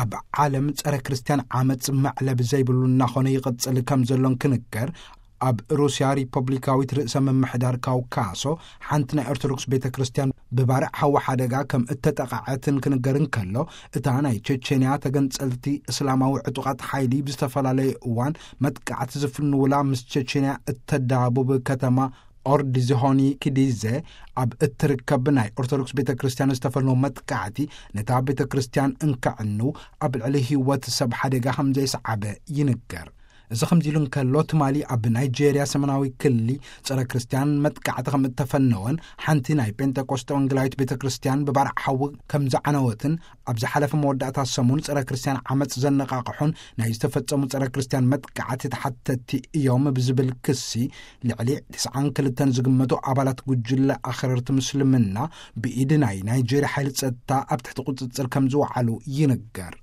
ኣብ ዓለም ጸረ ክርስትያን ዓመጽ መዕለብ ዘይብሉ እናኾነ ይቕጽል ከም ዘሎን ክንገር፣ ኣብ ሩስያ ሪፐብሊካዊት ርእሰ ምምሕዳር ካውካሶ ሓንቲ ናይ ኦርቶዶክስ ቤተ ክርስትያን ብባርዕ ሓዊ ሓደጋ ከም እተጠቓዐትን ክንገር እንከሎ፣ እታ ናይ ቸቸንያ ተገንጸልቲ እስላማዊ ዕጡቓት ሓይሊ ብዝተፈላለየ እዋን መጥቃዕቲ ዝፍንውላ ምስ ቸቸንያ እተዳቡብ ከተማ ኦርዲዝሆኒ ኪዲዘ ኣብ እትርከብ ናይ ኦርቶዶክስ ቤተ ክርስትያን ዝተፈነው መጥቃዕቲ ነታ ቤተ ክርስትያን እንከዕኑ ኣብ ልዕሊ ህይወት ሰብ ሓደጋ ከም ዘየስዓበ ይንገር። እዚ ከምዚ ኢሉ እንከሎ፣ ትማሊ ኣብ ናይጄርያ ሰሜናዊ ክሊ ጸረ ክርስትያን መጥቃዕቲ ከም እተፈነወን ሓንቲ ናይ ጴንጠቆስጠ ወንጌላዊት ቤተ ክርስትያን ብባርዕ ሓዊ ከም ዝዓነወትን ኣብ ዝሓለፈ መወዳእታ ሰሙን ጸረ ክርስትያን ዓመጽ ዘነቓቕሑን ናይ ዝተፈጸሙ ጸረ ክርስትያን መጥቃዕቲ ተሓተትቲ እዮም ብዝብል ክሲ ልዕሊ ትስዓን ክልተን ዝግመቱ ኣባላት ጉጅለ ኣኽረርቲ ምስልምና ብኢድ ናይ ናይጄርያ ሓይሊ ጸጥታ ኣብ ትሕቲ ቁጽጽር ከም ዝወዓሉ ይንገር።